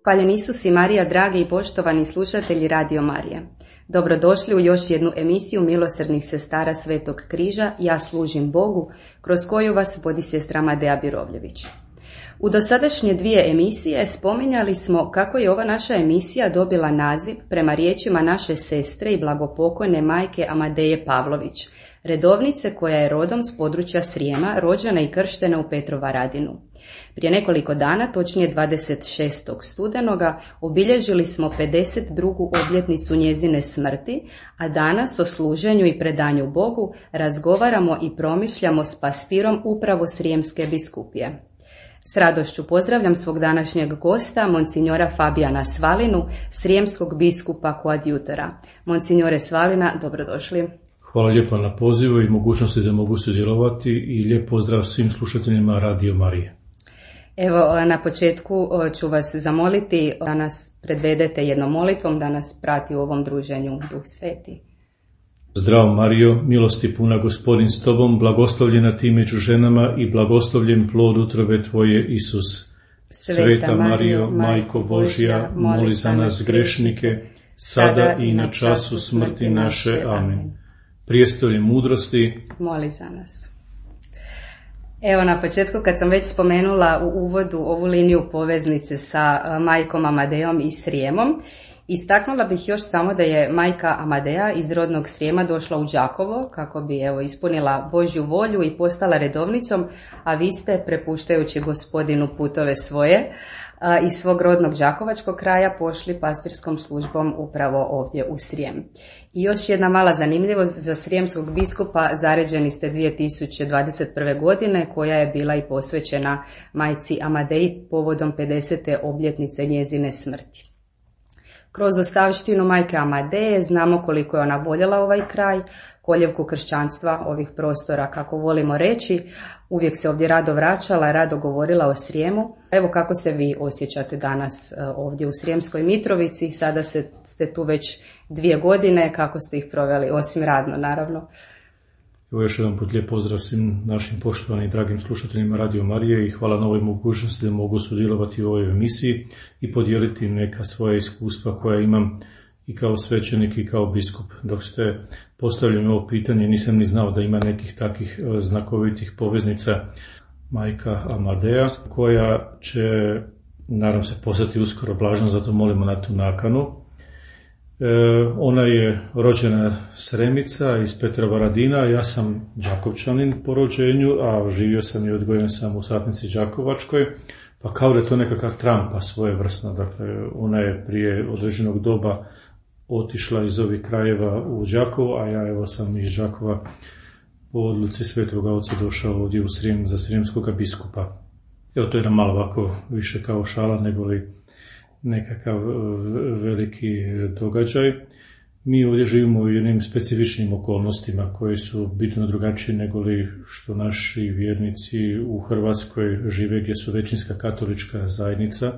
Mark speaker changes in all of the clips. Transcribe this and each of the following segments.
Speaker 1: Hvaljen Isus i Marija, dragi i poštovani slušatelji Radio Marije. Dobrodošli u još jednu emisiju Milosrdnih sestara Svetog križa Ja služim Bogu, kroz koju vas vodi sestra Madeja Birovljević. U dosadašnje dvije emisije spominjali smo kako je ova naša emisija dobila naziv prema riječima naše sestre i blagopokojne majke Amadeje Pavlović, redovnice koja je rodom s područja Srijema, rođena i krštena u Petrovaradinu. Prije nekoliko dana, točnije 26. studenoga, obilježili smo 52. obljetnicu njezine smrti, a danas o služenju i predanju Bogu razgovaramo i promišljamo s pastirom upravo Srijemske biskupije. S radošću pozdravljam svog današnjeg gosta, monsinjora Fabijana Svalinu, srijemskog biskupa koadjutora. Monsinjore Svalina, dobrodošli.
Speaker 2: Hvala lijepo na pozivu i mogućnosti da mogu sudjelovati i lijep pozdrav svim slušateljima Radio Marije.
Speaker 1: Evo, na početku ću vas zamoliti da nas predvedete jednom molitvom, da nas prati u ovom druženju Duh Sveti.
Speaker 2: Zdravo Marijo, milosti puna, Gospodin s tobom, blagoslovljena ti među ženama i blagoslovljen plod utrobe tvoje, Isus. Sveta Marijo, Majko Božja, moli za nas grešnike, sada i na času smrti naše. Amen. Prijestolje mudrosti,
Speaker 1: moli za nas. Evo, na početku, kad sam već spomenula u uvodu ovu liniju poveznice sa majkom Amadejom i Srijemom, istaknula bih još samo da je majka Amadeja iz rodnog Srijema došla u Đakovo kako bi ispunila Božju volju i postala redovnicom, a vi ste, prepuštajući Gospodinu putove svoje, iz svog rodnog đakovačkog kraja pošli pastirskom službom upravo ovdje u Srijem. I još jedna mala zanimljivost, za srijemskog biskupa zaređeni ste 2021. godine, koja je bila i posvećena majci Amadeji povodom 50. obljetnice njezine smrti. Kroz ostavštinu majke Amadeje znamo koliko je ona voljela ovaj kraj, koljevku kršćanstva ovih prostora, kako volimo reći. Uvijek se ovdje rado vraćala, rado govorila o Srijemu. Evo kako se vi osjećate danas ovdje u Srijemskoj Mitrovici. Sada ste tu već 2 godine, kako ste ih proveli, osim radno naravno.
Speaker 2: Evo još jedan put lijep pozdrav svim našim poštovanim i dragim slušateljima Radio Marije i hvala na ovoj mogućnosti da mogu sudjelovati u ovoj emisiji i podijeliti neka svoja iskustva koja imam i kao svećenik i kao biskup. Dok ste postavljali ovo pitanje, nisam ni znao da ima nekih takvih znakovitih poveznica majka Amadeja, koja će, naravno se postati uskoro blažna, zato molimo na tu nakanu. Ona je rođena Sremica iz Petrovaradina, ja sam Đakovčanin po rođenju, a živio sam i odgojen sam u Satnici Đakovačkoj, pa kao da je to nekakva trampa svojevrsna. Dakle, ona je prije određenog doba otišla iz ovih krajeva u Đakovo, a ja evo sam iz Đakova po odluci Svetog Oca došao ovdje u Srijem za srijemskog biskupa. Evo, to je nam malo ovako više kao šala nego li nekakav veliki događaj. Mi ovdje živimo u jednim specifičnim okolnostima koje su bitno drugačije nego li što naši vjernici u Hrvatskoj žive, gdje su većinska katolička zajednica.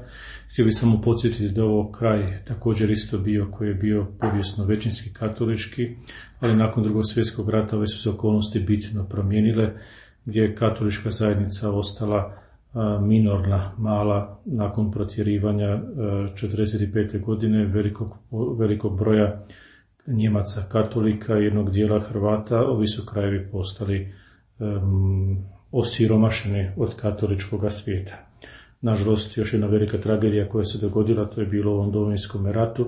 Speaker 2: Htio bih samo podsjetiti da ovo kraj također isto bio, koji je bio povijesno većinski katolički, ali nakon Drugog svjetskog rata ove su se okolnosti bitno promijenile, gdje je katolička zajednica ostala minorna, mala, nakon protjerivanja 1945. godine velikog broja Njemaca katolika i jednog dijela Hrvata. Ovi su krajevi postali osiromašeni od katoličkog svijeta. Nažalost, još jedna velika tragedija koja se dogodila, to je bilo u ovom Domovinskom ratu,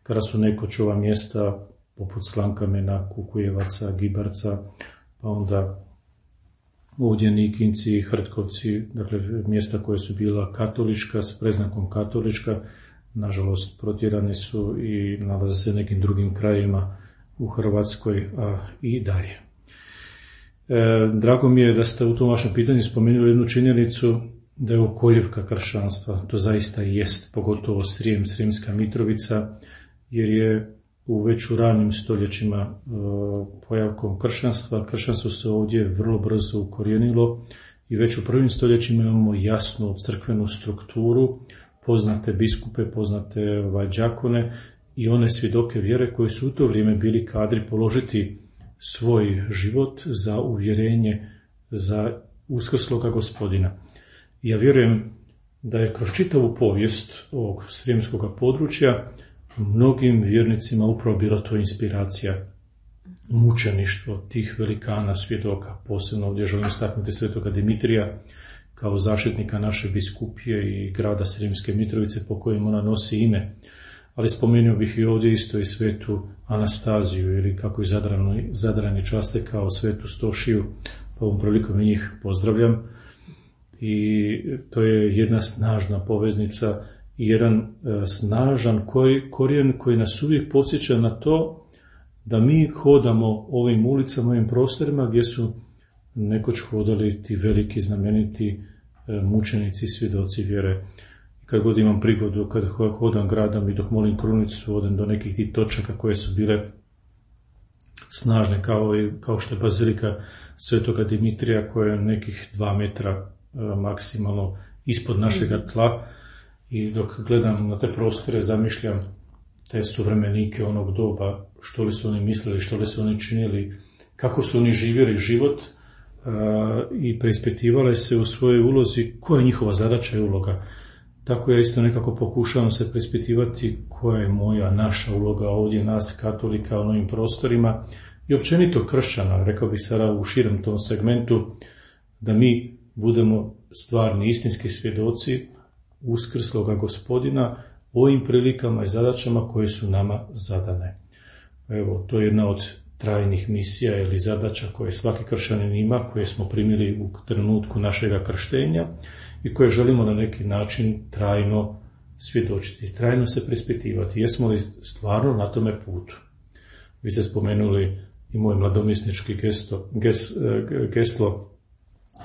Speaker 2: kada su nekoć ova mjesta poput Slankamena, Kukujevaca, Gibarca, pa onda ovdje Nikinci, Hrtkovci, dakle mjesta koje su bila katolička, s preznakom katolička, nažalost protjerani su i nalaze se nekim drugim krajima u Hrvatskoj, a i dalje. Drago mi je da ste u tom vašem pitanju spomenuli jednu činjenicu, da je ovo koljevka kršćanstva. To zaista i jest, pogotovo Srijem, Srijemska Mitrovica, jer je već u ranim stoljećima pojavkom kršćanstva. Kršćanstvo se ovdje vrlo brzo ukorijenilo i već u prvim stoljećima imamo jasnu crkvenu strukturu, poznate biskupe, poznate đakone i one svjedoke vjere koji su u to vrijeme bili kadri položiti svoj život za uvjerenje za uskrsloga Gospodina. Ja vjerujem da je kroz čitavu povijest ovog srijemskog područja mnogim vjernicima upravo bila to inspiracija, mučeništvo tih velikana svjedoka. Posebno ovdje želim istaknuti svetoga Dimitrija kao zaštitnika naše biskupije i grada Srijemske Mitrovice po kojem ona nosi ime. Ali spomenuo bih i ovdje isto i svetu Anastaziju, ili kako i Zadrani časte kao svetu Stošiju, pa ovom prilikom i njih pozdravljam. I to je jedna snažna poveznica i jedan snažan korijen koji nas uvijek podsjeća na to da mi hodamo ovim ulicama, ovim prostorima gdje su nekoć hodali ti veliki znameniti mučenici, svjedoci vjere. Kad god imam prigodu, kad hodam gradom i dok molim krunicu, odem do nekih tih točaka koje su bile snažne, kao što je bazilika svetoga Dimitrija, koja je nekih 2 metra maksimalno ispod našega tla, i dok gledam na te prostore zamišljam te suvremenike onog doba, što li su oni mislili, što li su oni činili, kako su oni živjeli život, i preispitivale se u svojoj ulozi koja je njihova zadaća i uloga. Tako ja isto nekako pokušavam se preispitivati koja je moja, naša uloga ovdje, nas katolika u novim prostorima i općenito kršćana, rekao bih sada u širem tom segmentu, da mi budemo stvarni, istinski svjedoci uskrsloga Gospodina ovim prilikama i zadaćama koje su nama zadane. Evo, to je jedna od trajnih misija ili zadaća koje svaki kršćanin ima, koje smo primili u trenutku našega krštenja i koje želimo na neki način trajno svjedočiti, trajno se preispitivati. Jesmo li stvarno na tome putu? Vi ste spomenuli i moj mladomisnički geslo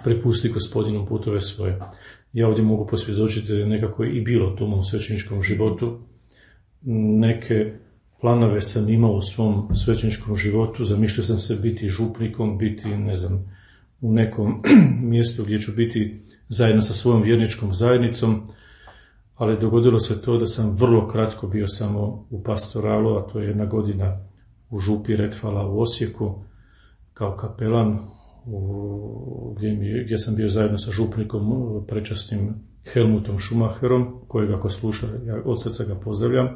Speaker 2: prepusti Gospodinu putove svoje. Ja ovdje mogu posvjedočiti da je nekako i bilo to u mom svećeničkom životu. Neke planove sam imao u svom svećeničkom životu, zamišljao sam se biti župnikom, biti, u nekom mjestu gdje ću biti zajedno sa svojom vjerničkom zajednicom, ali dogodilo se to da sam vrlo kratko bio samo u pastoralu, a to je 1 godina u župi Retvala u Osijeku, kao kapelan, gdje sam bio zajedno sa župnikom prečasnim Helmutom Schumacherom, kojeg ako sluša, ja od srca ga pozdravljam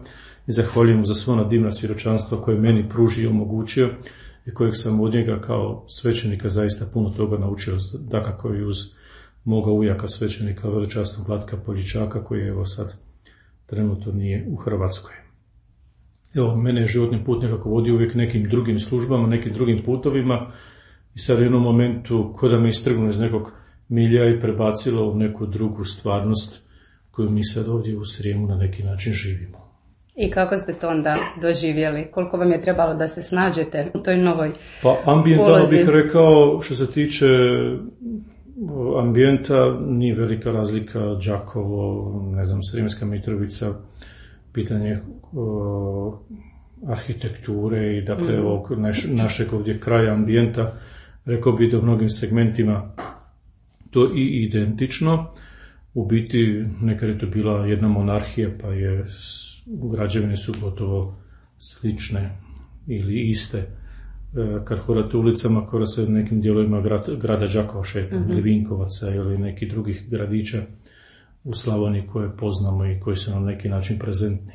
Speaker 2: i zahvaljujem mu za svo ona divna svjedočanstva koje meni pružio i omogućio i kojeg sam od njega kao svećenika zaista puno toga naučio, dakako i uz moga ujaka svećenika veličasnog Vlatka Poljičaka, koji evo sad trenutno nije u Hrvatskoj. Evo, mene je životni put nekako vodio uvijek nekim drugim službama, nekim drugim putovima i sad u jednom momentu ko da me istrgnulo iz nekog milja i prebacilo u neku drugu stvarnost koju mi sad ovdje u Srijemu na neki način živimo.
Speaker 1: I kako ste to onda doživjeli? Koliko vam je trebalo da se snađete u toj novoj
Speaker 2: Pa ambijentalno bih rekao, što se tiče ambijenta, nije velika razlika Đakovo, Srijemska Mitrovica, pitanje arhitekture i dakle ovog našeg ovdje kraja ambijenta, rekao bih da u mnogim segmentima to i identično. U biti nekad je to bila jedna monarhija, pa je građevine su gotovo slične ili iste. Kad hodate ulicama, kada se u nekim dijelovima grada Đakova šetam, ili Vinkovaca ili nekih drugih gradića u Slavoniji koje poznamo i koji su nam neki način prezentni.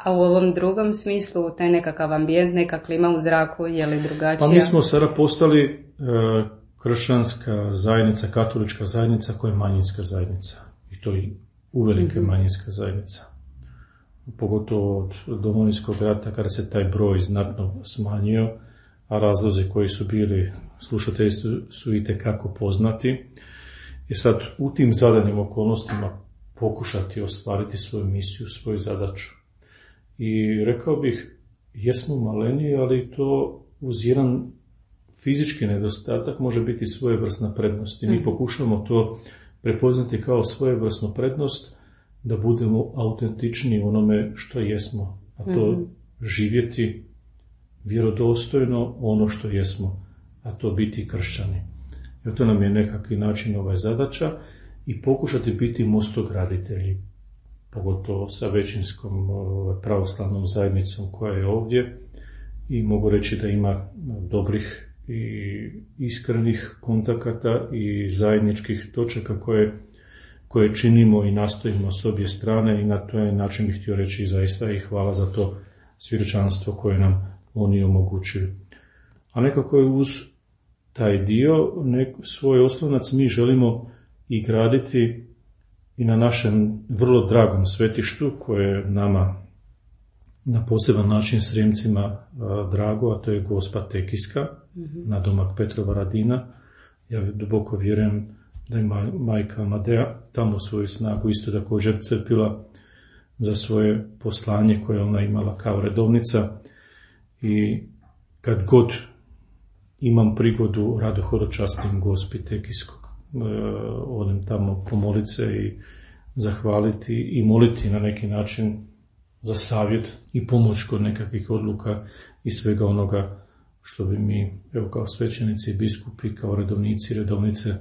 Speaker 1: A u ovom drugom smislu, taj nekakav ambijent, neka klima u zraku, je li drugačija?
Speaker 2: Pa mi smo sada postali kršćanska zajednica, katolička zajednica koja je manjinska zajednica. I to i uvelike manjinska zajednica. Pogotovo od Domovinskog rata, kada se taj broj znatno smanjio, a razlozi koji su bili, slušatelji su itekako poznati. I sad u tim zadanim okolnostima pokušati ostvariti svoju misiju, svoju zadaću. I rekao bih, jesmo maleni, ali to uz jedan fizički nedostatak može biti svojevrsna prednost. I mi pokušamo to prepoznati kao svojevrsnu prednost, da budemo autentični u onome što jesmo, a to živjeti vjerodostojno ono što jesmo, a to biti kršćani. I to nam je nekakvi način zadaća i pokušati biti mostograditelji, pogotovo sa većinskom pravoslavnom zajednicom koja je ovdje, i mogu reći da ima dobrih i iskrenih kontakata i zajedničkih točaka koje činimo i nastojimo s obje strane i na taj način bih htio reći zaista i hvala za to svjedočanstvo koje nam oni omogućuju. A nekako je uz taj dio svoj oslonac mi želimo i graditi i na našem vrlo dragom svetištu koje je nama na poseban način Srijemcima drago, a to je Gospa Tekijska, nadomak Petrova Radina. Ja duboko vjerujem da je majka Amadea tamo svoju snagu isto također crpila za svoje poslanje koje ona imala kao redovnica i kad god imam prigodu rado hodočastim Gospi Tekijskog, odem tamo pomoliti se i zahvaliti i moliti na neki način za savjet i pomoć kod nekakvih odluka i svega onoga što bi mi, evo kao svećenici i biskupi, kao redovnici i redovnice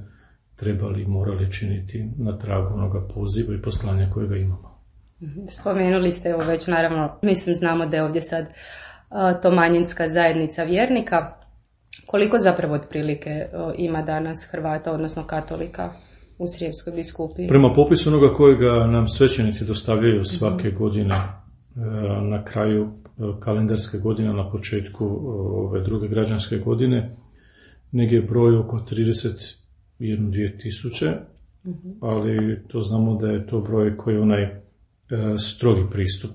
Speaker 2: trebali i morali činiti na tragu onoga poziva i poslanja kojega imamo.
Speaker 1: Spomenuli ste, evo već naravno, mislim znamo da je ovdje sad to manjinska zajednica vjernika. Koliko zapravo otprilike ima danas Hrvata, odnosno katolika u Srijemskoj biskupiji?
Speaker 2: Prema popisu onoga kojega nam svećenici dostavljaju svake godine na kraju kalendarske godine, na početku ove druge građanske godine, negdje je broj oko 31-2 tisuće, ali to znamo da je to broj koji je onaj strogi pristup,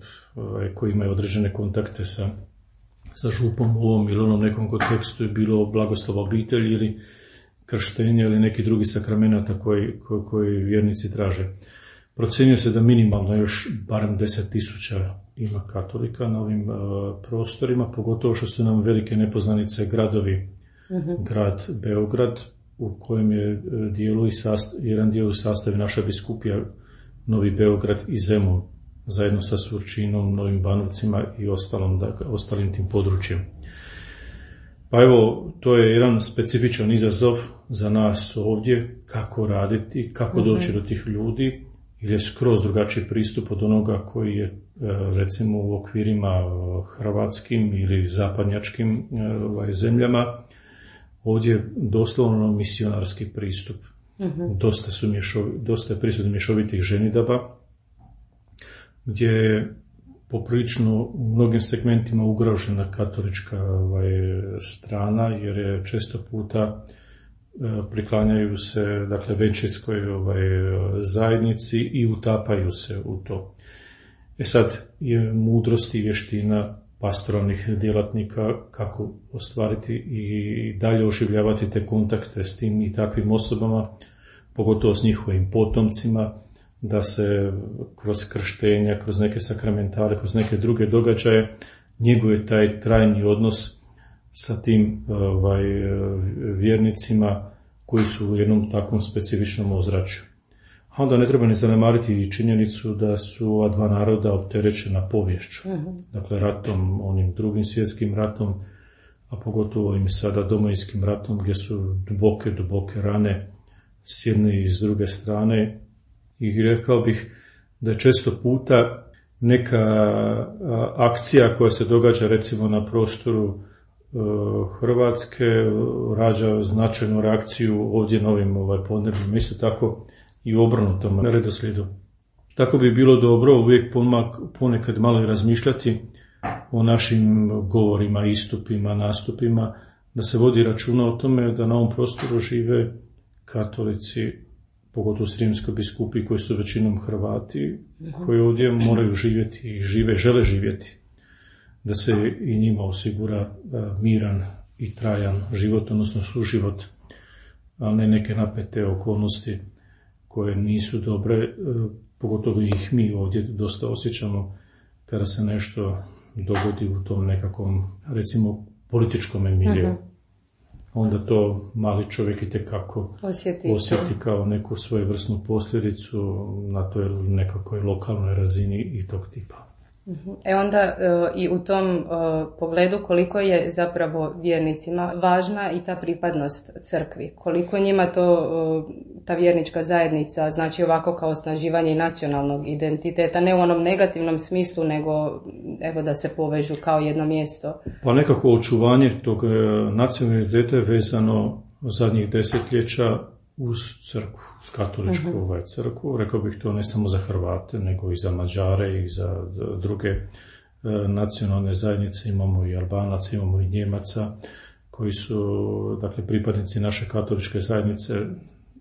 Speaker 2: koji ima određene kontakte sa župom u ovom ili onom nekom kontekstu, je bilo blagoslova obitelji ili krštenja ili neki drugi sakramenata koji vjernici traže. Procjenjuje se da minimalno još barem 10.000 ima katolika na ovim prostorima, pogotovo što su nam velike nepoznanice gradovi, grad Beograd, u kojem je jedan dio u sastavi naša biskupija Novi Beograd i Zemun, zajedno sa Surčinom, Novim Banovcima i ostalim tim područjem. Pa evo, to je jedan specifičan izazov za nas ovdje, kako raditi, kako doći do tih ljudi, ili je skroz drugačiji pristup od onoga koji je recimo u okvirima hrvatskim ili zapadnjačkim zemljama. Ovdje je doslovno misionarski pristup. Dosta je prisutnih mješovitih ženidaba, gdje je poprilično u mnogim segmentima ugrožena katolička strana, jer je često puta priklanjaju se većinskoj zajednici i utapaju se u to. Sad je mudrost i vještina pastoralnih djelatnika kako ostvariti i dalje oživljavati te kontakte s tim i takvim osobama, pogotovo s njihovim potomcima, da se kroz krštenja, kroz neke sakramentale, kroz neke druge događaje njeguje taj trajni odnos sa tim vjernicima koji su u jednom takvom specifičnom ozračju. A onda ne treba ni zanemariti i činjenicu da su ova dva naroda opterećena poviješću. Dakle, ratom, onim drugim svjetskim ratom, a pogotovo ovim sada Domovinskim ratom, gdje su duboke rane s jedne i s druge strane. I rekao bih da je često puta neka akcija koja se događa recimo na prostoru Hrvatske rađa značajnu reakciju ovdje na ovim podnebljima, isto tako i u obrnutom redoslijedu. Tako bi bilo dobro uvijek ponekad malo i razmišljati o našim govorima, istupima, nastupima, da se vodi računa o tome da na ovom prostoru žive katolici, pogotovo Srijemskoj biskupiji koji su većinom Hrvati, koji ovdje moraju živjeti i žele živjeti, da se i njima osigura miran i trajan život, odnosno suživot, a ne neke napete okolnosti koje nisu dobre, pogotovo ih mi ovdje dosta osjećamo kada se nešto dogodi u tom nekakvom, recimo, političkom miljeu. Onda to mali čovjek itekako osjeti kao neku svojevrsnu posljedicu na toj nekakvoj lokalnoj razini i tog tipa.
Speaker 1: Onda i u tom pogledu koliko je zapravo vjernicima važna i ta pripadnost crkvi, koliko njima ta vjernička zajednica znači ovako kao osnaživanje nacionalnog identiteta, ne u onom negativnom smislu, nego evo da se povežu kao jedno mjesto.
Speaker 2: Pa nekako očuvanje tog nacionalnog identiteta je vezano zadnjih desetljeća uz crkvu, uz katoličku crkvu. Rekao bih to ne samo za Hrvate, nego i za Mađare i za druge nacionalne zajednice. Imamo i Albanaca, imamo i Njemaca koji su, dakle, pripadnici naše katoličke zajednice,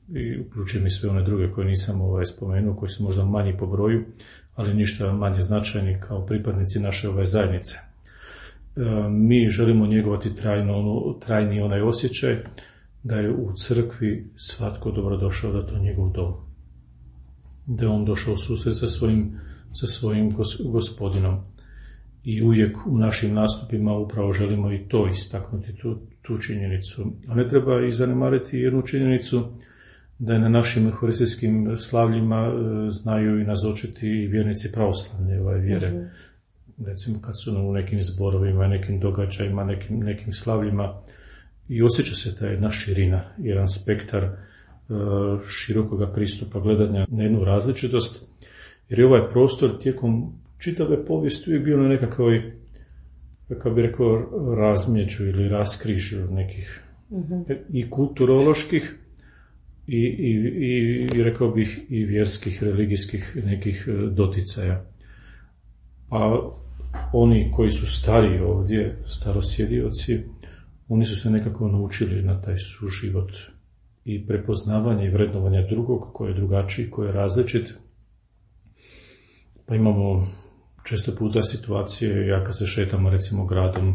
Speaker 2: i uključujem i sve one druge koje nisam spomenuo, koji su možda manji po broju, ali ništa manje značajni kao pripadnici naše zajednice. Mi želimo njegovati trajni onaj osjećaj da je u crkvi svatko dobrodošao, da to je njegov dom. Da je on došao u susret sa svojim gospodinom. I uvijek u našim nastupima upravo želimo i to istaknuti, tu činjenicu. A ne treba i zanemariti jednu činjenicu, da je na našim euharistijskim slavljima znaju i nazočiti i vjernici pravoslavne vjere. Recimo kad su u nekim zborovima, nekim događajima, nekim slavljima, i osjeća se ta jedna širina, jedan spektar širokoga pristupa gledanja na jednu različitost, jer je ovaj prostor tijekom čitave povijesti uvijek bio na nekakvoj, kako bi rekao, razmjeđu ili raskrižju nekih i kulturoloških i rekao bih i vjerskih, religijskih nekih doticaja. Pa oni koji su stariji ovdje, starosjedioci, oni su se nekako naučili na taj suživot i prepoznavanje i vrednovanje drugog, koji je drugačiji, koji je različit. Pa imamo često puta situacije, ja kad se šetamo recimo gradom,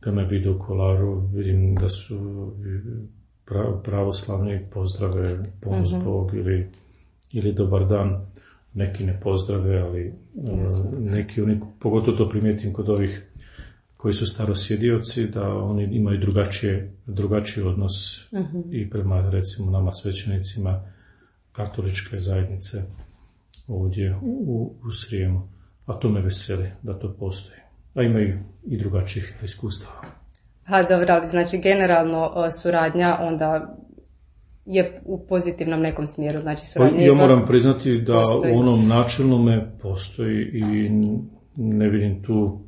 Speaker 2: kad me vidu u Kolaru, vidim da su pravoslavni pozdrave, ponos Bog ili dobar dan. Neki ne pozdrave, ali neki, oni, pogotovo to primijetim kod ovih koji su starosjedioci, da oni imaju drugačiji odnos i prema, recimo, nama svećenicima katoličke zajednice ovdje u Srijemu. A to me veseli da to postoji. A imaju i drugačijih iskustava.
Speaker 1: Dobro, ali znači generalno suradnja onda je u pozitivnom nekom smjeru, znači suradnja.
Speaker 2: Ja moram priznati da postoji. U onom načelnome postoji i ne vidim tu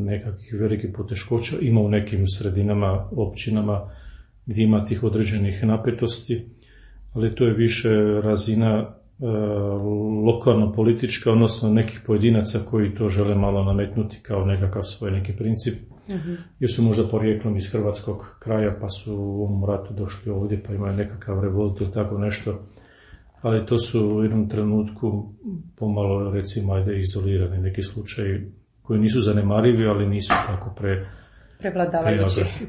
Speaker 2: nekakvih velikih poteškoća. Ima u nekim sredinama, općinama gdje ima tih određenih napetosti, ali to je više razina lokalno-politička, odnosno nekih pojedinaca koji to žele malo nametnuti kao nekakav svoj neki princip, jer su možda porijeklom iz hrvatskog kraja pa su u ovom ratu došli ovdje pa imaju nekakav revolt ili tako nešto, ali to su u jednom trenutku pomalo, recimo, izolirani neki slučaji koji nisu zanemarivi, ali nisu tako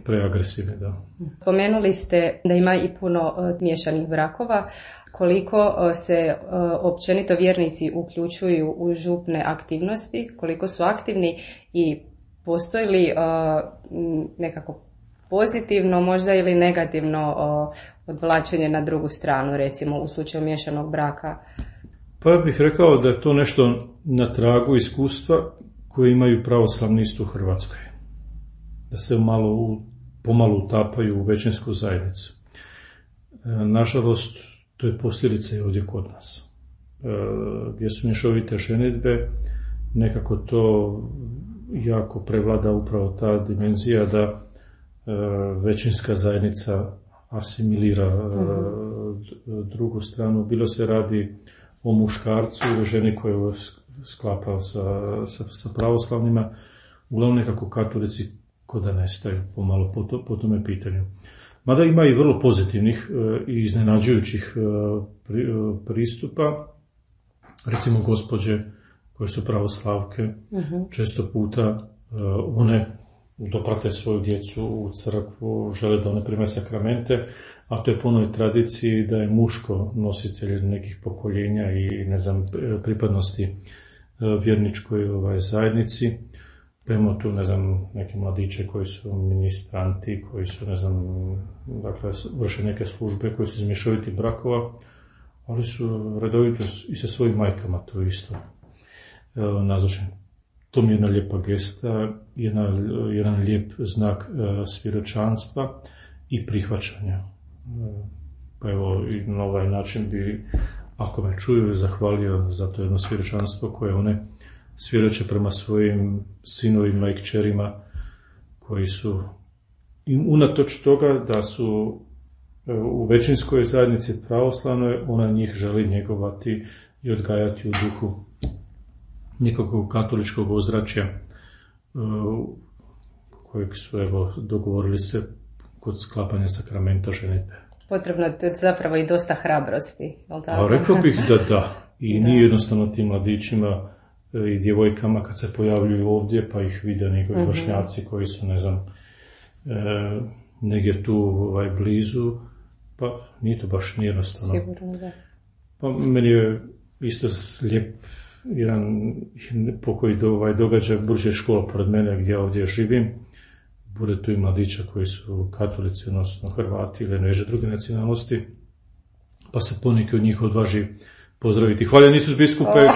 Speaker 2: preagresivni. Da.
Speaker 1: Spomenuli ste da ima i puno miješanih brakova. Koliko se općenito vjernici uključuju u župne aktivnosti, koliko su aktivni i postoji li nekako pozitivno možda ili negativno odvlačenje na drugu stranu, recimo u slučaju miješanog braka?
Speaker 2: Pa bih rekao da je to nešto na tragu iskustva koje imaju pravoslavni isto u Hrvatskoj. Da se pomalo utapaju u većinsku zajednicu. Nažalost, to je posljedica i ovdje kod nas. Gdje su mješovite ženidbe, nekako to jako prevlada upravo ta dimenzija da većinska zajednica asimilira drugu stranu. Bilo se radi o muškarcu ili ženi koju sklapa sa pravoslavnima, uglavnom nekako katolici ko da nestaju pomalo po tome pitanju. Mada ima i vrlo pozitivnih i iznenađujućih pristupa, recimo gospođe koje su pravoslavke, često puta one doprate svoju djecu u crkvu, žele da one prime sakramente, a to je po onoj tradiciji da je muško nositelj nekih pokoljenja i pripadnosti vjerničkoj zajednici. Pa imamo tu, neke mladiće koji su ministranti, koji su, dakle, vrše neke službe, koji su iz mješovitih brakova, ali su redovito i sa svojim majkama to isto nazočni. To mi je jedna lijepa gesta, jedan lijep znak svjedočanstva i prihvaćanja. Pa evo, i na ovaj način bi, ako me čuju, zahvalio za to jedno svjedočanstvo koje one svjedoče prema svojim sinovima i kćerima koji su, unatoč toga da su u većinskoj zajednici pravoslavnoj, ona njih želi njegovati i odgajati u duhu nekakvog katoličkog ozračja kojeg su dogovorili se kod sklapanja sakramenta ženitbe.
Speaker 1: Potrebno je zapravo i dosta hrabrosti, jel tako?
Speaker 2: A rekao bih da. I nije jednostavno tim mladićima i djevojkama kad se pojavljuju ovdje pa ih vide njegovi vršnjaci koji su, ne znam, negdje tu blizu, pa nije to baš jednostavno.
Speaker 1: Sigurno, da.
Speaker 2: Pa meni je isto lijep jedan pokoji događaj, budući je škola pored mene gdje ovdje živim, bude tu i mladića koji su katolici, odnosno Hrvati ili neže druge nacionalnosti, pa se poneki od njih odvaži pozdraviti. Hvala Isus biskupe,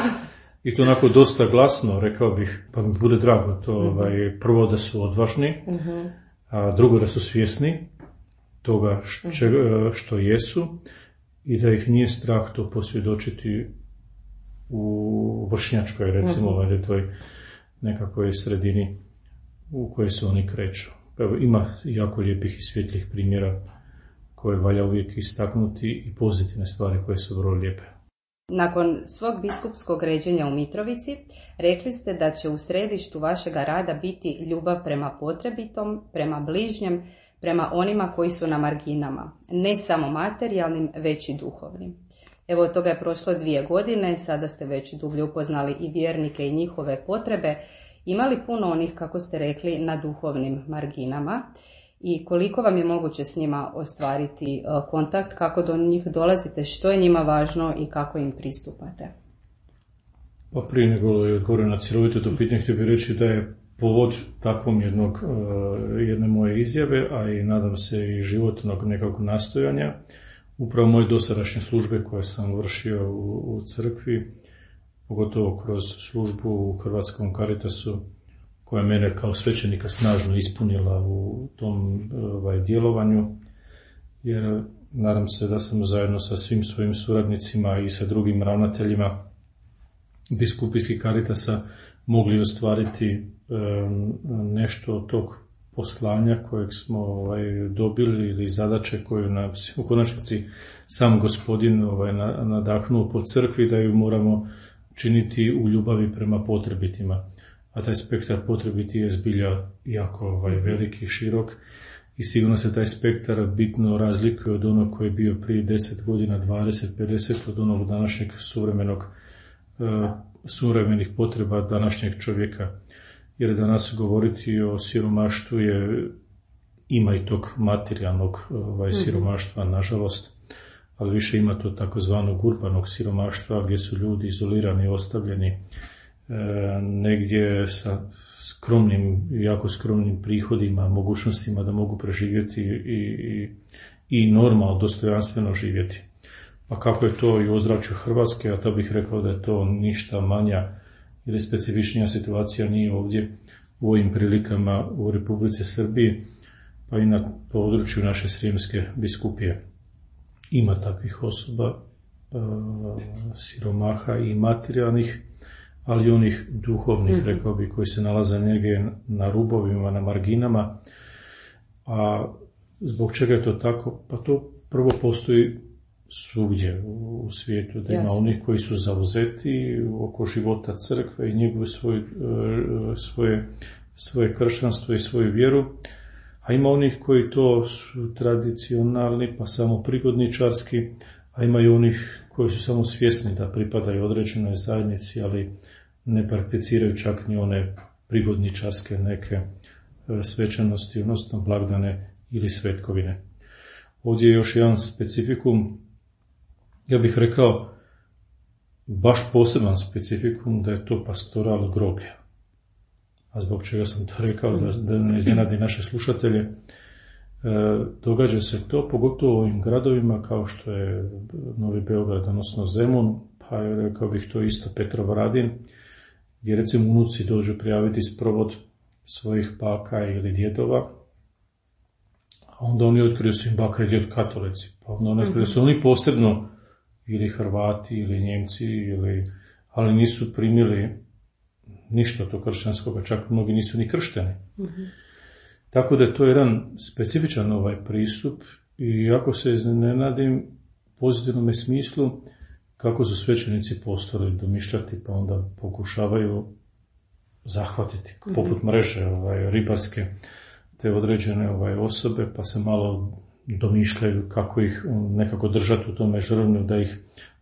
Speaker 2: i to onako dosta glasno, rekao bih, pa mi bude drago to, prvo da su odvažni, a drugo da su svjesni toga što jesu i da ih nije strah to posvjedočiti u vršnjačkoj, recimo, toj nekakvoj sredini u kojoj se oni kreću. Evo, ima jako lijepih i svjetlih primjera koje valja uvijek istaknuti i pozitivne stvari koje su vrlo lijepe.
Speaker 1: Nakon svog biskupskog ređenja u Mitrovici, rekli ste da će u središtu vašega rada biti ljubav prema potrebitom, prema bližnjem, prema onima koji su na marginama, ne samo materijalnim, već i duhovnim. Evo, od toga je prošlo 2 godine, sada ste već dublje upoznali i vjernike i njihove potrebe. Ima li puno onih, kako ste rekli, na duhovnim marginama i koliko vam je moguće s njima ostvariti kontakt, kako do njih dolazite, što je njima važno i kako im pristupate?
Speaker 2: Pa prije nego je odgovorio na cjelovito to pitanje, htio bih reći da je povod takvom jedne moje izjave, a i nadam se i životnog nekakvog nastojanja, upravo moje dosadašnje službe koje sam vršio u crkvi, pogotovo kroz službu u Hrvatskom Caritasu, koja mene kao svećenika snažno ispunila u tom djelovanju, jer nadam se da sam zajedno sa svim svojim suradnicima i sa drugim ravnateljima biskupijskih Caritasa mogli ostvariti nešto od tog poslanja kojeg smo dobili ili zadaće koju nas u konačnici sam Gospodin nadahnuo po crkvi da ju moramo činiti u ljubavi prema potrebitima. A taj spektar potrebiti je zbilja jako veliki i širok i sigurno se taj spektar bitno razlikuje od onog koji je bio prije 10 godina, 20, 50, od onog današnjeg suvremenih potreba današnjeg čovjeka. Jer danas govoriti o siromaštvu ima i tog materijalnog siromaštva, nažalost, ali više ima to takozvanog urbanog siromaštva gdje su ljudi izolirani, ostavljeni negdje sa skromnim, jako skromnim prihodima, mogućnostima da mogu preživjeti i normalno, dostojanstveno živjeti. Pa kako je to i u ozračju Hrvatske, a to bih rekao da je to ništa manja ili specifičnija situacija nije ovdje u ovim prilikama u Republici Srbiji, pa i na području naše Srijemske biskupije. Ima takvih osoba, siromaha i materijalnih, ali i onih duhovnih, rekao bih, koji se nalaze negdje na rubovima, na marginama. A zbog čega je to tako? Pa to prvo postoji svugdje u svijetu, da ima onih koji su zauzeti oko života crkve i njeguju svoje kršćanstvo i svoju vjeru, a ima onih koji to su tradicionalni, pa samo prigodničarski, a ima i onih koji su samo svjesni da pripadaju određenoj zajednici, ali ne prakticiraju čak ni one prigodničarske neke svečanosti, odnosno blagdane ili svetkovine. Ovdje je još jedan specifikum, ja bih rekao, baš poseban specifikum, da je to pastoral groblja. A zbog čega sam to rekao, da ne iznenadi naše slušatelje, događa se to, pogotovo u ovim gradovima kao što je Novi Beograd, odnosno Zemun, pa je, rekao bih, to isto Petrovaradin, gdje recimo unuci dođu prijaviti sprovod svojih baka ili djedova, a onda oni otkriju su im baka i djed katolici, pa onda oni otkriju su oni posebno ili Hrvati ili Njemci, ali nisu primili ništa od tog kršćanskoga, čak mnogi nisu ni kršteni. Tako da je to jedan specifičan pristup i jako se iznenadim pozitivnom smislu kako su svećenici postali domišljati, pa onda pokušavaju zahvatiti, poput mreže ribarske, te određene osobe, pa se malo domišljaju kako ih nekako držati u tome žrvnju,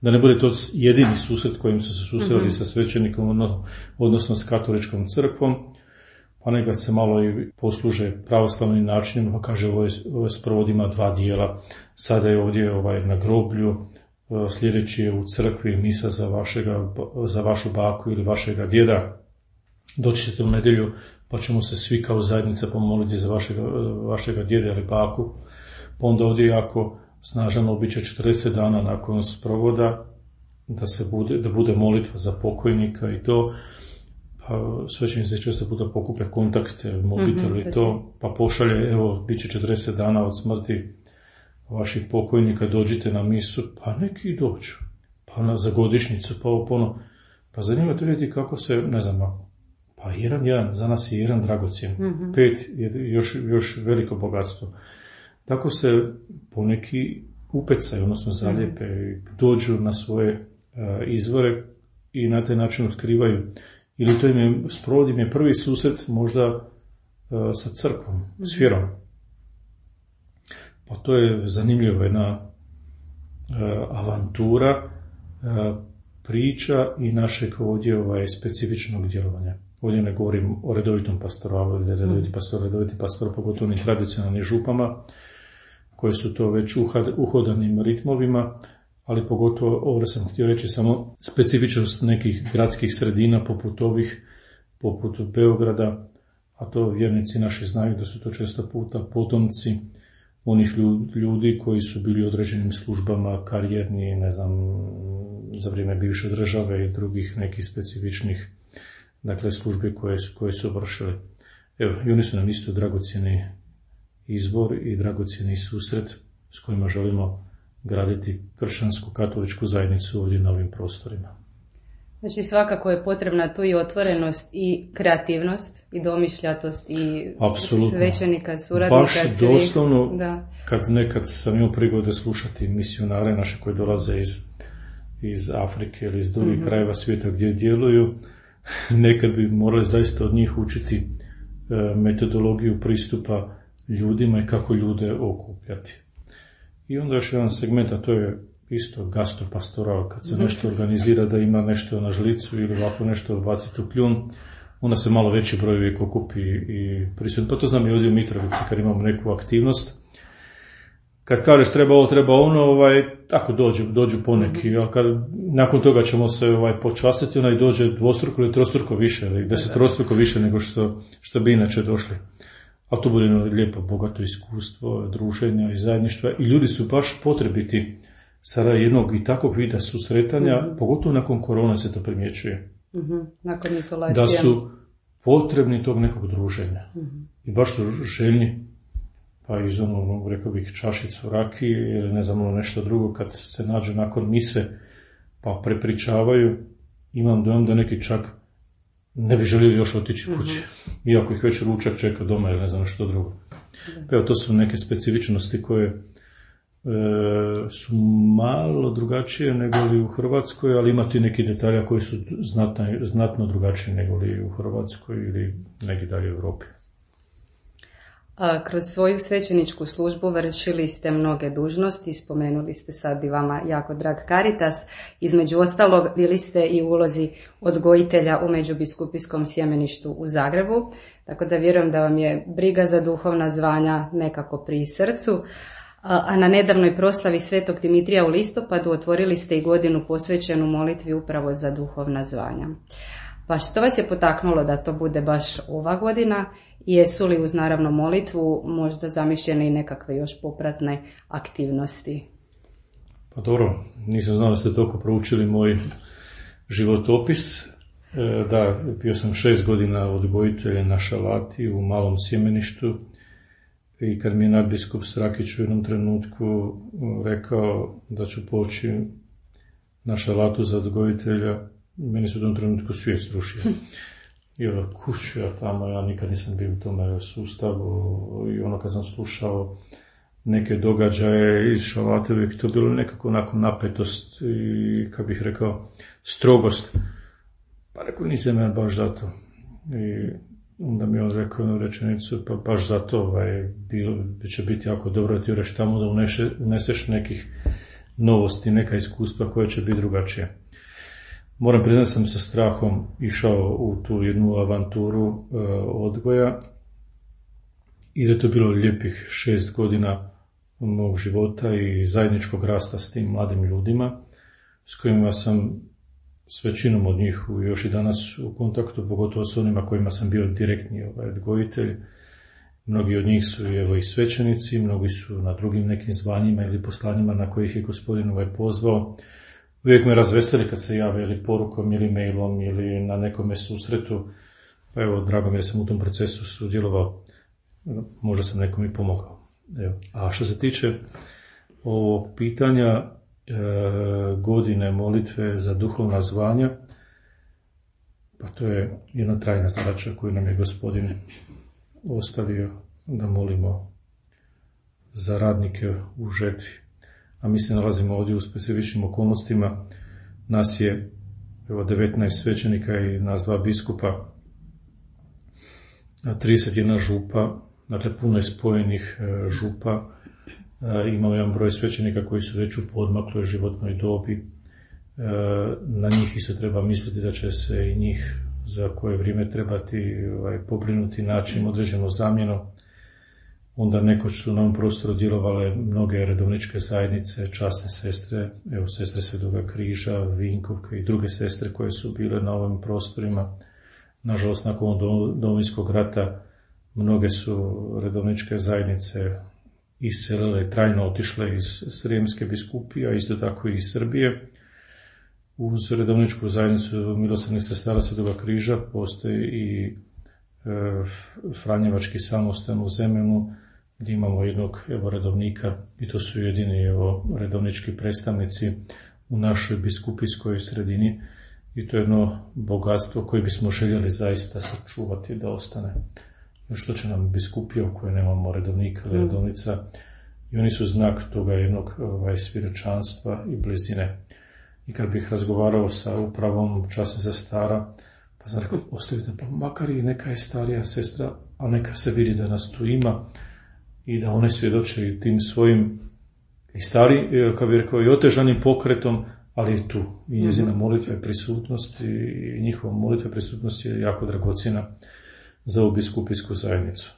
Speaker 2: da ne bude to jedini susret kojim su se susreli sa svećenikom, odnosno s katoličkom crkvom, pa nekad se malo i posluže pravoslavnim načinom, pa kaže ovo sprovod ima 2 dijela, sada je ovdje na groblju, sljedeći je u crkvi misa za vašu baku ili vašega djeda, doći ćete u nedjelju pa ćemo se svi kao zajednica pomoliti za vašega djeda ili baku, pa onda ovdje jako snažan običaj 40 dana nakon sprovoda da bude molitva za pokojnika i to. Pa svećenici se često puta pokuplja kontakte, mobitel i to, pa pošalje, evo, bit će 40 dana od smrti vaših pokojnika, dođite na misu, pa neki dođu, pa za godišnjicu, pa opono. Pa zanimljivo to vidjeti kako se, ne znam, pa jedan, za nas je jedan dragocjen, 5 je još veliko bogatstvo. Tako se poneki upecaju, odnosno zalijepe, dođu na svoje izvore i na taj način otkrivaju. Ili to sprovod im je prvi susret možda sa crkvom, s vjerom. Pa to je zanimljiva jedna avantura, priča i našeg ovdje specifičnog djelovanja. Ovdje ne govorim o redovitom pastoralu ili redoviti pastor, pogotovo onim tradicionalnim župama, koje su to već uhodanim ritmovima, ali pogotovo, ovdje sam htio reći samo specifičnost nekih gradskih sredina poput Beograda, a to vjernici naši znaju da su to često puta potomci onih ljudi koji su bili u određenim službama, karijerni, ne znam, za vrijeme bivše države i drugih nekih specifičnih, dakle, službe koje su vršile. Evo, i oni su nam isto dragocjeni izbor i dragocjeni susret s kojima želimo graditi kršćansku katoličku zajednicu ovdje na ovim prostorima.
Speaker 1: Znači svakako je potrebna tu i otvorenost i kreativnost i domišljatost i
Speaker 2: apsolutno.
Speaker 1: Svećenika, suradnika.
Speaker 2: Baš doslovno, kad nekad sam imao prigode slušati misionare naše koji dolaze iz Afrike ili iz drugih krajeva svijeta gdje djeluju, nekad bi morali zaista od njih učiti metodologiju pristupa ljudima i kako ljude okupljati. I onda još jedan segment, a to je isto gastropastoral, kad se nešto organizira da ima nešto na žlicu ili ovako nešto baciti u kljun, onda se malo veći broj uvijek okupi i prisutno. Pa to znam i ovdje u Mitrovici kad imamo neku aktivnost. Kad kažeš treba ovo, treba ono, tako dođu poneki, a kad nakon toga ćemo se počastiti, onaj dođe dvostruko ili trostruko više, ili desetrostruko više nego što bi inače došli. A to bude lijepo, bogato iskustvo, druženja i zajedništva. I ljudi su baš potrebiti sada jednog i takvog vida susretanja, pogotovo nakon korona se to primjećuje.
Speaker 1: Nakon izolacije.
Speaker 2: Da su potrebni tog nekog druženja. I baš su željni, pa iz rekao bih, čašicu rakije ili ne znam, nešto drugo, kad se nađu nakon mise pa prepričavaju, imam dojam da neki čak ne bi željeli još otići kući, iako ih već ručak čeka doma ili ne znam što drugo. Evo, to su neke specifičnosti koje su malo drugačije nego li u Hrvatskoj, ali ima ti neki detalja koji su znatno drugačiji nego li u Hrvatskoj ili negdje dalje u Europi.
Speaker 1: Kroz svoju svećeničku službu vršili ste mnoge dužnosti, spomenuli ste sad i vama jako drag Caritas, između ostalog bili ste i u ulozi odgojitelja u Međubiskupijskom sjemeništu u Zagrebu, tako da vjerujem da vam je briga za duhovna zvanja nekako pri srcu, a na nedavnoj proslavi Svetog Dimitrija u listopadu otvorili ste i godinu posvećenu molitvi upravo za duhovna zvanja. Pa što vas je potaknulo da to bude baš ova godina i jesu li uz naravno molitvu možda zamišljene i nekakve još popratne aktivnosti?
Speaker 2: Pa dobro, nisam znao da ste toliko proučili moj životopis. Da, bio sam 6 godina odgojitelj na Šalati u malom sjemeništu i kad mi je nadbiskup Srakić u jednom trenutku rekao da ću poći na Šalatu za odgojitelja, meni su u tom trenutku svijet srušio. I kuću ja tamo, ja nikad nisam bio u tome sustavu i kad sam slušao neke događaje iz Šalate, uvijek to bilo nekako onako napetost i, kako bih rekao, strogost. Pa rekao, nisam ja baš zato. I onda mi on rekao jednu rečenicu, pa baš zato će biti jako dobro da ti ureš tamo, da uneseš nekih novosti, neka iskustva koja će biti drugačija. Moram priznati, sam sa strahom išao u tu jednu avanturu odgoja i da je to bilo lijepih 6 godina mog života i zajedničkog rasta s tim mladim ljudima s kojima sam s većinom od njih još i danas u kontaktu, pogotovo s onima kojima sam bio direktni odgojitelj. Mnogi od njih su i svećenici, mnogi su na drugim nekim zvanjima ili poslanjima na kojih je Gospodin pozvao. Uvijek me razveseli kad se jave ili porukom ili mailom ili na nekome susretu. Pa evo, drago mi je da sam u tom procesu sudjelovao. Možda sam nekom i pomogao. Evo. A što se tiče ovog pitanja godine molitve za duhovna zvanja, pa to je jedna trajna zadaća koju nam je Gospodin ostavio da molimo za radnike u žetvi. A mi se nalazimo ovdje u specifičnim okolnostima. Nas je 19 svećenika i nas 2 biskupa, 31 župa, dakle puno je spojenih župa. Imamo jedan broj svećenika koji su već u poodmakloj životnoj dobi. Na njih isto treba misliti da će se i njih za koje vrijeme trebati pobrinuti, naći im određenu zamjenu. Onda nekoć su na ovom prostoru djelovale mnoge redovničke zajednice, časne sestre, evo sestre Svetoga križa, Vinkovke i druge sestre koje su bile na ovim prostorima. Nažalost, nakon Domovinskog rata mnoge su redovničke zajednice iselile, trajno otišle iz Srijemske biskupije, a isto tako i iz Srbije. Uz redovničku zajednicu milosrdnih sestara Svetoga križa postoji i Franjevački samostan u Zemunu, gdje imamo jednog redovnika i to su jedini redovnički predstavnici u našoj biskupijskoj sredini i to je jedno bogatstvo koje bismo željeli zaista sačuvati da ostane. Što će nam biskupija u kojoj nemamo redovnika ili redovnica i oni su znak toga jednog svjedočanstva i blizine. I kad bih razgovarao sa upravom časne sestara, pa sam rekao, ostavite, pa makar i neka je starija sestra, a neka se vidi da nas tu ima i da one svjedoče i tim svojim i stari, kao bih rekao, i otežanim pokretom, ali i tu. I njezina molitva i prisutnost i njihova molitva i prisutnost je jako dragocjena za ovu biskupijsku zajednicu.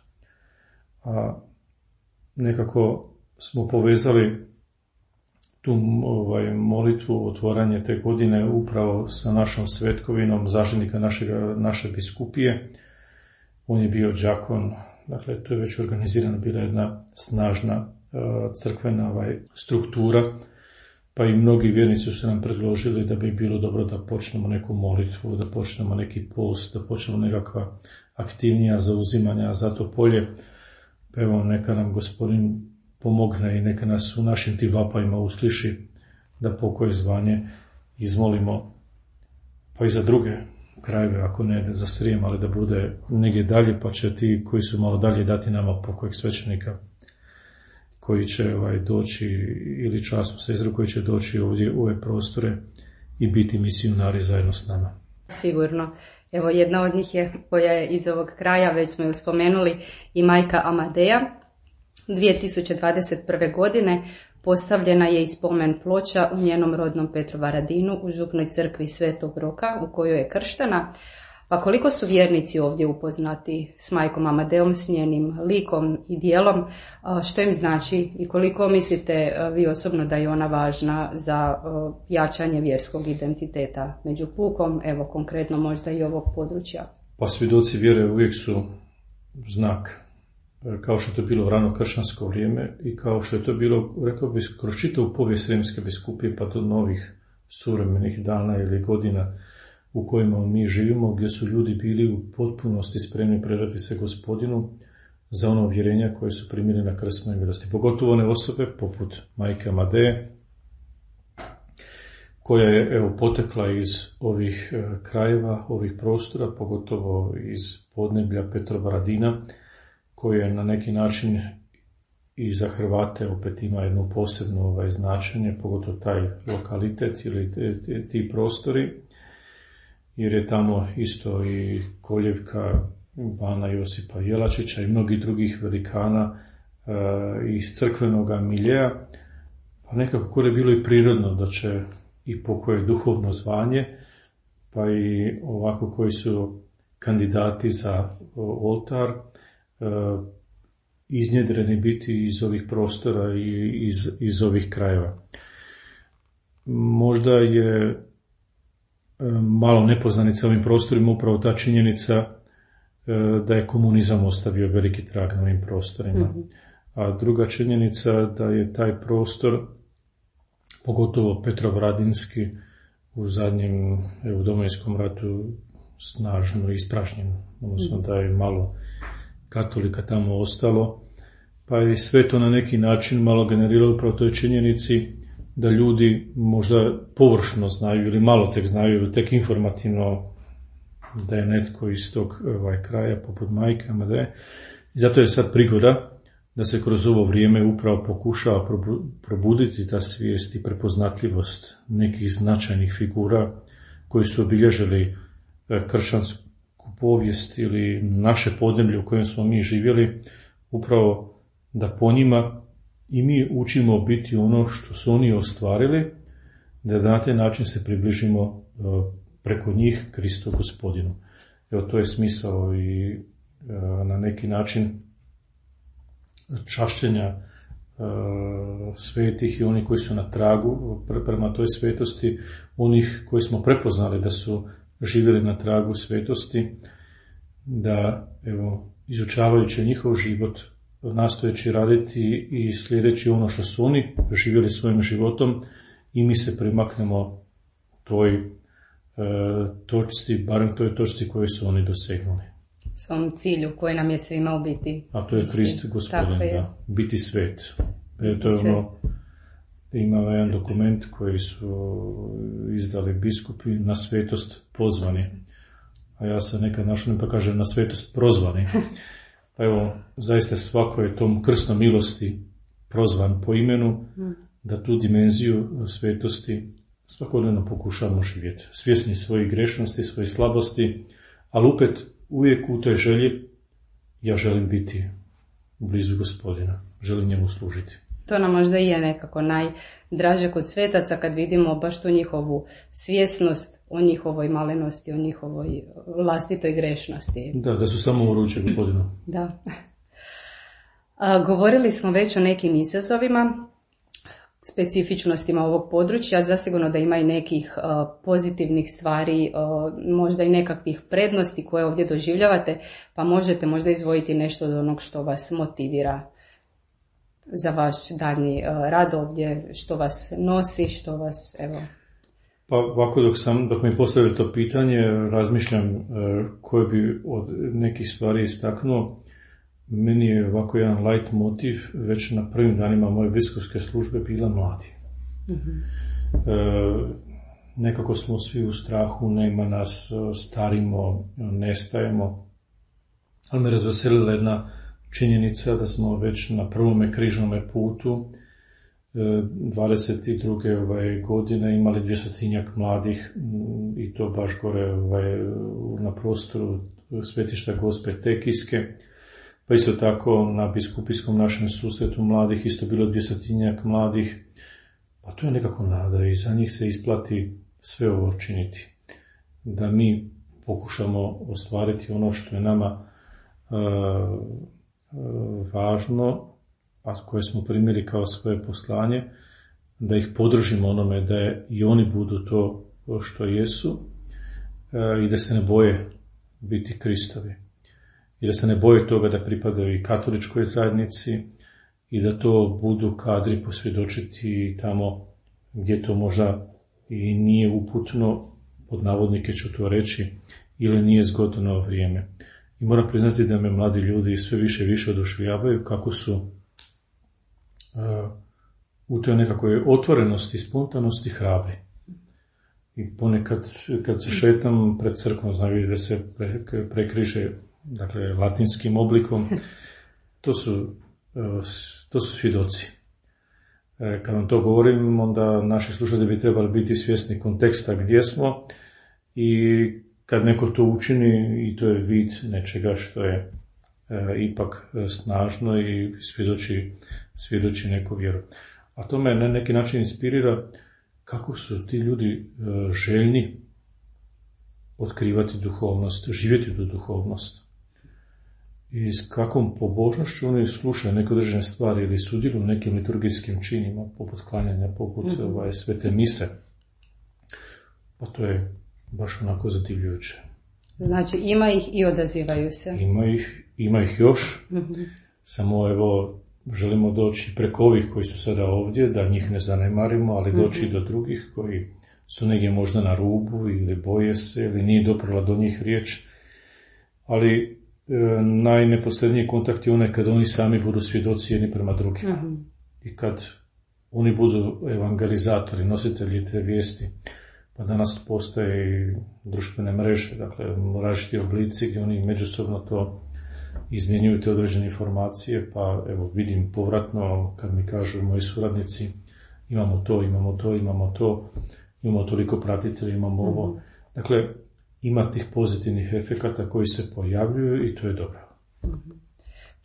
Speaker 2: A nekako smo povezali tu molitvu, otvaranje te godine upravo sa našom svetkovinom zaštitnika naše biskupije. On je bio đakon, dakle to je već organizirana bila jedna snažna crkvena struktura, pa i mnogi vjernici su nam predložili da bi bilo dobro da počnemo neku molitvu, da počnemo neki post, da počnemo nekakva aktivnija zauzimanja za to polje. Pa evo, neka nam Gospodin pomogne i neka nas u našim tim vapajima usliši da pokoje zvanje izmolimo, pa i za druge krajeve, ako ne za Srijem, ali da bude negdje dalje, pa će ti koji su malo dalje dati nama pokojeg svećenika koji će doći, ili časnu sestru koji će doći ovdje u ove prostore i biti misionari zajedno s nama.
Speaker 1: Sigurno. Evo, jedna od njih je, koja je iz ovog kraja, već smo ju spomenuli, i majka Amadeja. 2021. godine postavljena je i spomen ploča u njenom rodnom Petrovaradinu u župnoj crkvi Svetog Roka u kojoj je krštena. Pa koliko su vjernici ovdje upoznati s majkom Amadejom, s njenim likom i dijelom, što im znači i koliko mislite vi osobno da je ona važna za jačanje vjerskog identiteta među pukom, evo konkretno možda i ovog područja?
Speaker 2: Pa svjedoci vjere uvijek su znak, kao što je to bilo u rano kršćansko vrijeme i kao što je to bilo, rekao bih, kroz čitavu povijest Srijemske biskupije pa do novih suvremenih dana ili godina u kojima mi živimo, gdje su ljudi bili u potpunosti spremni predati se Gospodinu za ono uvjerenja koje su primili na krstnoj milosti. Pogotovo one osobe poput majke Amadeje, koja je potekla iz ovih krajeva, ovih prostora, pogotovo iz podneblja Petrovaradina, koja je na neki način i za Hrvate opet ima jedno posebno značenje, pogotovo taj lokalitet ili ti prostori, jer je tamo isto i koljevka bana Josipa Jelačića i mnogih drugih velikana iz crkvenog miljeja, pa nekako je bilo i prirodno da će i pokoje duhovno zvanje, pa i ovako koji su kandidati za oltar iznjedreni biti iz ovih prostora i iz ovih krajeva. Možda je malo nepoznanica ovim prostorima upravo ta činjenica da je komunizam ostavio veliki trag na ovim prostorima. Mm-hmm. A druga činjenica da je taj prostor, pogotovo Petrovaradinski, u zadnjem u Domovinskom ratu snažno ispražnjen, odnosno da je malo katolika tamo ostalo, pa je sve to na neki način malo generiralo upravo toj činjenici da ljudi možda površno znaju ili malo tek znaju ili tek informativno da je netko iz tog kraja poput Majke Amadeje. I zato je sad prigoda da se kroz ovo vrijeme upravo pokušava probuditi ta svijest i prepoznatljivost nekih značajnih figura koji su obilježili kršćansku povijest ili naše podneblje u kojem smo mi živjeli, upravo da po njima i mi učimo biti ono što su oni ostvarili, da na taj način se približimo preko njih Kristu Gospodinu. Evo, to je smisao i na neki način čašćenja svetih i onih koji su na tragu prema toj svetosti, onih koji smo prepoznali da su živjeli na tragu svetosti, da evo, izučavajući njihov život, nastojeći raditi i sljedeći ono što su oni živjeli svojim životom, i mi se primaknemo toj točci, barem toj točci koju su oni dosegnuli.
Speaker 1: Svom cilju koji nam je svima u biti.
Speaker 2: A to je Krist Gospodin, da, biti svet. To je ono, ima jedan dokument koji su izdali biskupi, na svetost pozvani. A ja se nekad našlim pa kažem na svetost prozvani. Pa evo, zaista svako je tom krstom milosti prozvan po imenu, da tu dimenziju svetosti svakodnevno pokušamo živjeti. Svjesni svojih grešnosti, svojih slabosti, ali opet uvijek u toj želji ja želim biti blizu Gospodina, želim njemu služiti.
Speaker 1: To nam možda i je nekako najdraže kod svetaca kad vidimo baš tu njihovu svjesnost o njihovoj malenosti, o njihovoj vlastitoj grešnosti.
Speaker 2: Da su samo u ruci Gospodinu.
Speaker 1: Da. Govorili smo već o nekim izazovima, specifičnostima ovog područja, zasigurno da ima i nekih pozitivnih stvari, možda i nekakvih prednosti koje ovdje doživljavate, pa možete možda izdvojiti nešto od onog što vas motivira za vaš daljnji rad ovdje, što vas nosi, što vas, evo...
Speaker 2: Pa ovako dok mi postavili to pitanje, razmišljam koje bi od nekih stvari istaknuo. Meni je ovako jedan light motiv već na prvim danima moje biskupske službe bila mladi. Mm-hmm. Nekako smo svi u strahu, nema nas, starimo, nestajemo. Ali me razveselila jedna činjenica da smo već na prvome križnome putu 22. godine imali 200 mladih, i to baš gore na prostoru svetišta Gospe Tekijske. Pa isto tako na biskupijskom našem susretu mladih isto bilo 200 mladih. Pa to je nekako nada i za njih se isplati sve ovo činiti. Da mi pokušamo ostvariti ono što je nama važno, a koje smo primili kao svoje poslanje, da ih podržimo onome da i oni budu to što jesu, i da se ne boje biti Kristovi. I da se ne boje toga da pripadaju i katoličkoj zajednici i da to budu kadri posvjedočiti tamo gdje to možda i nije uputno, pod navodnike ću to reći, ili nije zgodno vrijeme. I moram priznati da me mladi ljudi sve više i više oduševljavaju kako su u toj nekakvoj otvorenosti, spontanosti hrabri. I ponekad kad se šetam pred crkvom, znam da se prekriže, dakle, latinskim oblikom, to su to su svjedoci. Kad vam to govorim, onda naši slušatelji bi trebali biti svjesni konteksta gdje smo i kad neko to učini i to je vid nečega što je ipak snažno i svjedoči neku vjeru. A to me na neki način inspirira kako su ti ljudi željni otkrivati duhovnost, živjeti tu duhovnost. I s kakvom pobožnošću oni slušaju neke određene stvari ili sudjeluju u nekim liturgijskim činima, poput klanjanja, poput svete mise. Pa to je baš onako zadivljujuće.
Speaker 1: Znači ima ih i odazivaju se.
Speaker 2: Ima ih još, samo evo želimo doći preko ovih koji su sada ovdje, da njih ne zanemarimo, ali doći do drugih koji su negdje možda na rubu ili boje se ili nije doprla do njih riječ, ali najneposredniji kontakt je onaj kad oni sami budu svjedoci jedni prema drugima. I kad oni budu evangelizatori, nositelji te vijesti. Pa danas postoje i društvene mreže, dakle različiti oblici gdje oni međusobno to izmjenjuju te određene informacije, pa evo vidim povratno kad mi kažu moji suradnici imamo toliko pratitelja, imamo ovo. Dakle, ima tih pozitivnih efekata koji se pojavljuju i to je dobro.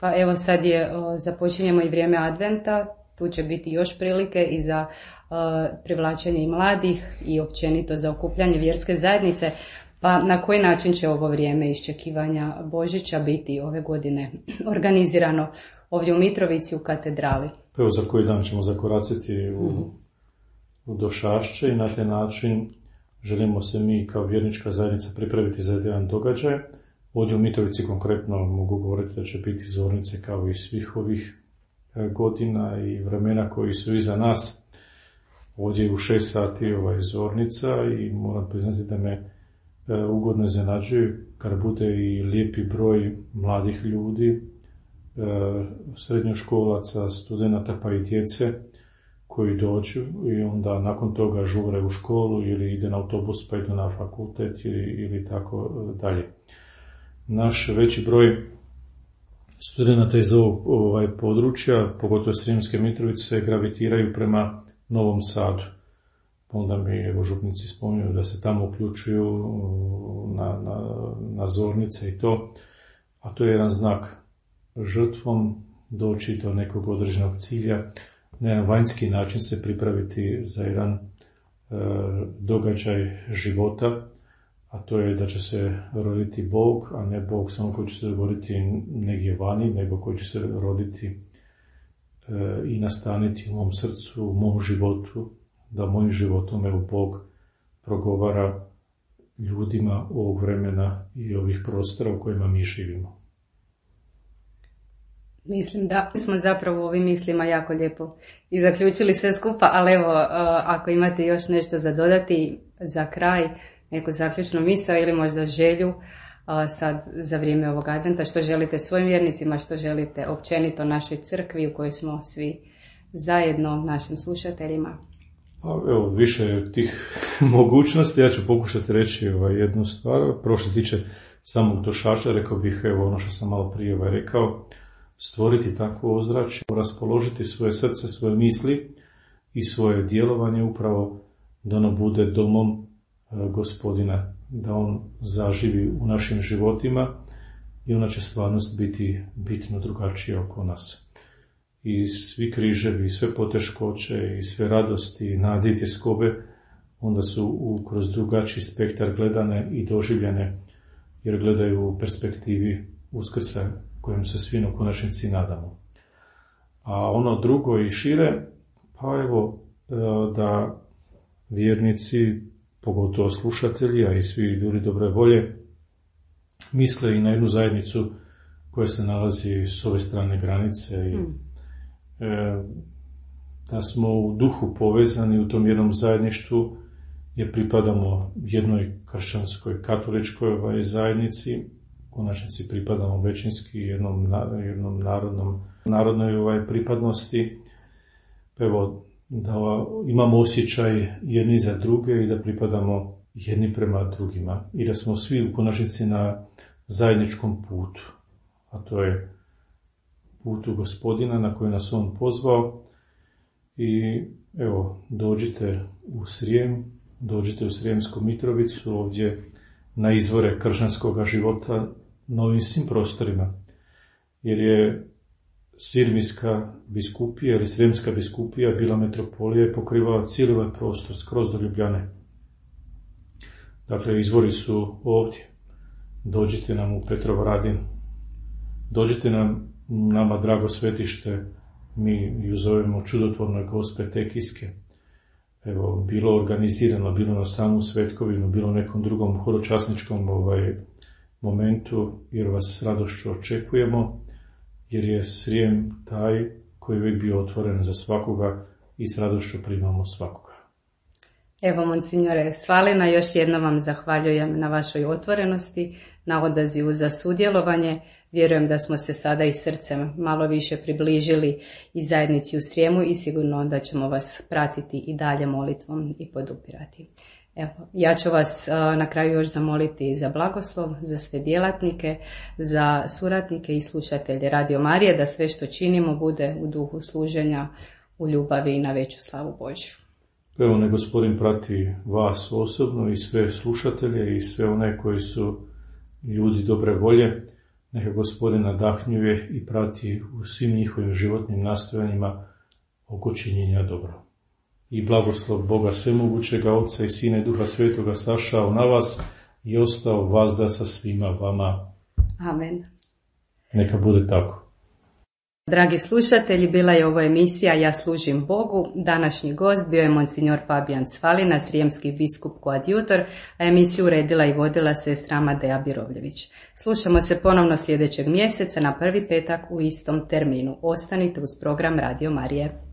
Speaker 1: Pa evo sad započinjemo i vrijeme Adventa, tu će biti još prilike i za privlačenje i mladih i općenito za okupljanje vjerske zajednice. Pa na koji način će ovo vrijeme iščekivanja Božića biti ove godine organizirano ovdje u Mitrovici u katedrali?
Speaker 2: Pa evo za koji dan ćemo zakoraciti u Došašće i na taj način želimo se mi kao vjernička zajednica pripraviti za jedan događaj. Ovdje u Mitrovici konkretno mogu govoriti da će biti zornice kao i svih ovih godina i vremena koji su iza nas. Ovdje je u 6 sati zornica i moram priznati da me ugodno iznenađuju kad bude i lijepi broj mladih ljudi, srednjoškolaca, studenata pa i djece koji dođu i onda nakon toga žure u školu ili ide na autobus pa idu na fakultet ili tako dalje. Naš veći broj studenata iz ovog područja, pogotovo Srijemske Mitrovice, se gravitiraju prema Novom Sadu. Onda mi župnici spominju da se tamo uključuju na zornice i to, a to je jedan znak žrtvom doći do nekog određenog cilja, na jedan vanjski način se pripraviti za jedan događaj života, a to je da će se roditi Bog, a ne Bog samo koji će se roditi negdje vani, nego koji će se roditi i nastaniti u mom srcu, u mom životu, da mojim životom evo Bog progovara ljudima ovog vremena i ovih prostora u kojima mi živimo.
Speaker 1: Mislim da smo zapravo u ovim mislima jako lijepo i zaključili sve skupa, ali evo, ako imate još nešto za dodati za kraj, neku zaključnu misao ili možda želju sad za vrijeme ovog adventa, što želite svojim vjernicima, što želite općenito našoj crkvi u kojoj smo svi zajedno, našim slušateljima.
Speaker 2: Evo, više tih mogućnosti, ja ću pokušati reći jednu stvar. Prvo što se tiče samog Došaša, rekao bih ono što sam malo prije rekao, stvoriti takvo ozračje, raspoložiti svoje srce, svoje misli i svoje djelovanje upravo da ono bude domom Gospodina, da on zaživi u našim životima i ona će stvarnost biti bitno drugačija oko nas. I svi križevi, i sve poteškoće, i sve radosti, i nade i tjeskobe, onda su kroz drugačiji spektar gledane i doživljene, jer gledaju u perspektivi Uskrsa, kojem se svi u konačnici nadamo. A ono drugo i šire, pa evo, da vjernici, pogotovo slušatelji, a i svi ljudi dobre volje, misle i na jednu zajednicu koja se nalazi s ove strane granice i da smo u duhu povezani u tom jednom zajedništvu, jer pripadamo jednoj kršćanskoj, katoličkoj zajednici, u konačnici pripadamo većinski jednom narodnoj pripadnosti. Evo, da imamo osjećaj jedni za druge i da pripadamo jedni prema drugima i da smo svi u konačnici na zajedničkom putu, a to je putu Gospodina na koji nas on pozvao. I evo, dođite u Srijem, dođite u Srijemsku Mitrovicu, ovdje na izvore kršćanskog života na ovim svim prostorima. Jer je Sirmijska biskupija ili Srijemska biskupija bila metropolija i pokrivala cijeli ovaj prostor, skroz do Ljubljane. Dakle, izvori su ovdje. Dođite nam u Petrovaradin, dođite nama drago svetište, mi ju zovemo Čudotvorne Gospe Tekijske. Evo, bilo organizirano, bilo na samu Svetkovinu, bilo nekom drugom horočasničkom momentu, jer vas s radošću očekujemo, jer je Srijem taj koji je uvijek bio otvoren za svakoga i s radošću primamo svakoga.
Speaker 1: Evo, monsignore Svalina, još jednom vam zahvaljujem na vašoj otvorenosti, na odazivu za sudjelovanje. Vjerujem da smo se sada i srcem malo više približili i zajednici u Srijemu i sigurno da ćemo vas pratiti i dalje molitvom i podupirati. Evo, ja ću vas na kraju još zamoliti za blagoslov, za sve djelatnike, za suradnike i slušatelje Radio Marije, da sve što činimo bude u duhu služenja, u ljubavi i na veću slavu Božju.
Speaker 2: Evo, ne Gospodin prati vas osobno i sve slušatelje i sve one koji su ljudi dobre volje. Neka Gospodin nadahnjuje i prati u svim njihovim životnim nastojanjima oko činjenja dobro. I blagoslov Boga Svemogućega, Oca i Sina i Duha Svetoga sašao na vas i ostao vazda sa svima vama.
Speaker 1: Amen.
Speaker 2: Neka bude tako.
Speaker 1: Dragi slušatelji, bila je ovo emisija Ja služim Bogu. Današnji gost bio je monsignor Fabijan Svalina, srijemski biskup koadjutor, a emisiju uredila i vodila sestra Amadeja Birovljević. Slušamo se ponovno sljedećeg mjeseca na prvi petak u istom terminu. Ostanite uz program Radio Marije.